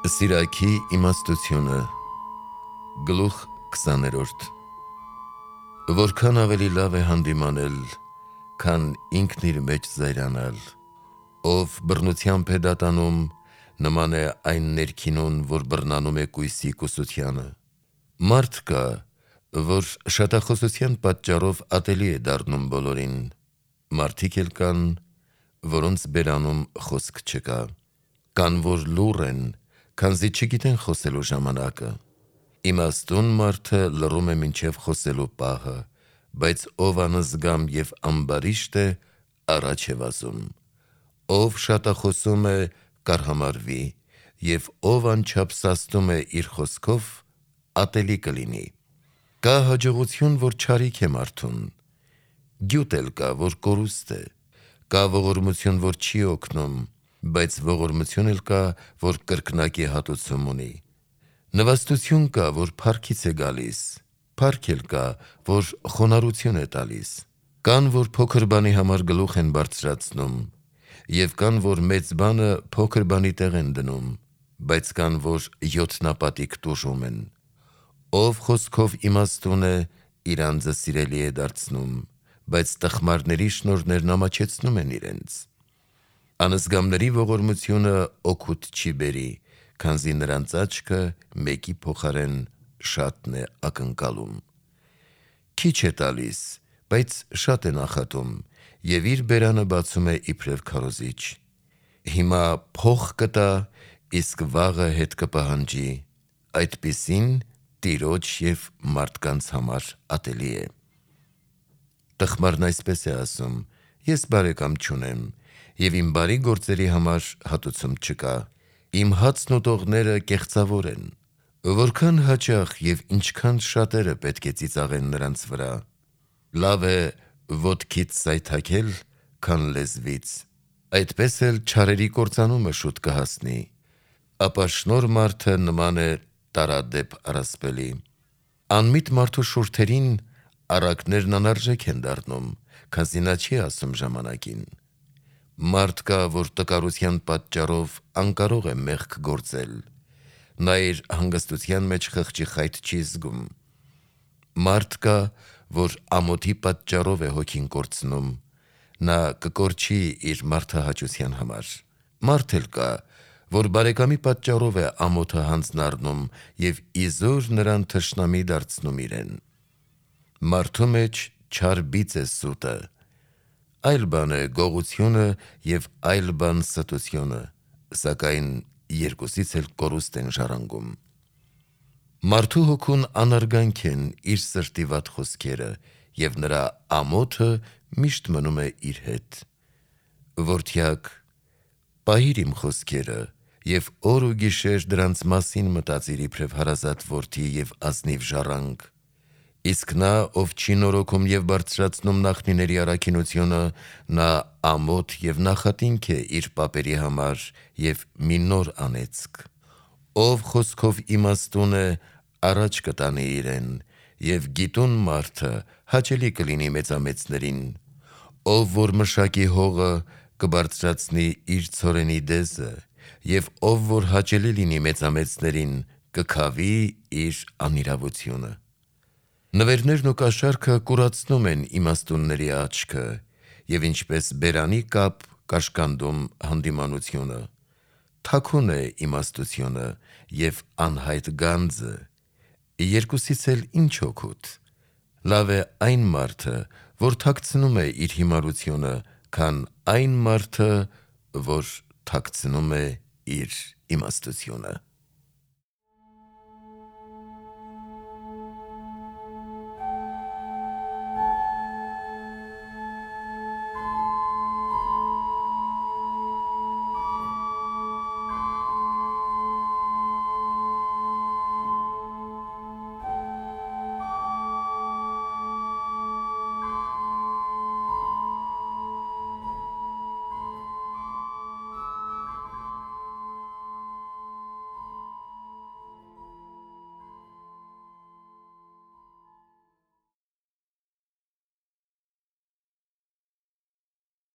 Սիրակի իմաստությունը Գլուխ 20-րդ Որքան ավելի լավ է հանդիմանել, քան ինքն իր մեջ զայրանալ, ով բռնությամբ է դատանում, նման է այն ներքինուն, որ բռնանում է կույսի կուսությանը։ Մարդ կա, որ շատախոսության պատճառով ատելի է դառնում բոլորին, մարդիկ էլ կան, որոնց բերանում խոսք չկա, կան, որ լուռ են, քանզի չգիտեն խոսելու ժամանակը։ Իմաստուն մարդը լռում է մինչև խոսելու պահը, բայց ով անզգամ և ամբարիշտ է, առաջ է վազում։ Ով շատախոսում է, կարհամարվի, և ով անչափ սաստում է իր խոսքով, ատելի կլինի։ Կա հաջողություն, որ չարիք է մարդուն, գյուտ էլ կա, որ կորուստ է, կա ողորմություն, որ չի օգնում, բայց ողորմություն էլ կա, որ կրկնակի հատուցում ունի։ Նվաստություն կա, որ փառքից է գալիս, փառք էլ կա, որ խոնարհություն է տալիս։ Կան, որ փոքր բանի համար գլուխ են բարձրացնում, և կան, որ մեծ բանը փոքր բանի տեղ են դնում, բայց կան, որ յոթնապատիկ տուժում են։ Ով խոսքով իմաստուն է, իր անձը սիրելի է դարձնում, բայց տխմարների շնորհներն ամաչեցնում են իրենց։ Անզգամների ողորմությունը օգուտ չի բերի, քանզի նրանց աչքը մեկի փոխարեն շատն է ակնկալում։ Քիչ է տալիս, բայց շատ է նախատում, և իր բերանը բացում է իբրև քարոզիչ։ Հիմա փող կտա, իսկ վաղը հետ կպահանջի, այդպիսին տիրոջ և մարդկանց համար ատելի է։ Տխմարն այսպես է ասում. ես բարեկամ չունեմ, և իմ բարի գործերի համար հատուցում չկա, իմ հացն ուտողները կեղծավոր են։ Որքան հաճախ և ինչքան շատերը պետք է ծիծաղեն նրանց վրա։ Լավ է ոտքից սայթաքել, քան լեզվից, այդպես էլ չարերի կործանումը շուտ կհասնի։ Ապաշնորհ մարդը նման է տարադեպ առասպելի։ Անմիտ մարդու շուրթերին առակներն անարժեք են դառնում, քանզի նա չի ասում ժամանակին։ Մարդ կա, որ տկարության պատճառով անկարող է մեղք գործել, նա իր հանգստության մեջ խղճի խայթ չի զգում։ Մարդ կա, որ ամոթի պատճառով է հոգին կորցնում, նա կկորչի իր մարդահաճության համար։ Մարդ էլ կա, որ բարեկամի պատճառով է ամոթը հանձն առնում և իզուր նրան թշնամի դարձնում իրեն։ Մարդու մեջ չար բիծ է սուտը, այլ բան է գողությունը և այլ բան ստությունը, սակայն երկուսից էլ կորուստ են ժառանգում։ Մարդու հոգուն անարգանք են իր սրտի վատ խոսքերը, և նրա ամոթը միշտ մնում է իր հետ։ Որդյակ, պահիր իմ խոսքերը և օր ու գիշեր դրանց մասին մտածիր իբրև հարազատ որդի և ազնիվ ժառանգ։ Իսկ նա, ով չի նորոգում և բարձրացնում նախնիների առաքինությունը, նա ամոթ և նախատինք է իր պապերի համար և մի նոր անեծք։ Ով խոսքով իմաստուն է, առաջ կտանի իրեն, և գիտուն մարդը հաճելի կլինի մեծամեծներին։ Ով որ մշակի հողը, կբարձրացնի իր ցորենի դեզը, և ով որ հաճելի լինի մեծամեծներին, կքավի իր անիրավությունը։ Նվերներն ու կաշառքը կուրացնում են իմաստունների աչքը, և ինչպես բերանի կապ կաշկանդում հանդիմանությունը։ Թաքուն է իմաստությունը և անհայտ գանձը, երկուսից էլ ինչ օգուտ։ Լավ է այն մարդը, որ թաքցնում է իր հիմարությունը, քան այն մարդը, որ թաքցնում է իր իմաստությունը։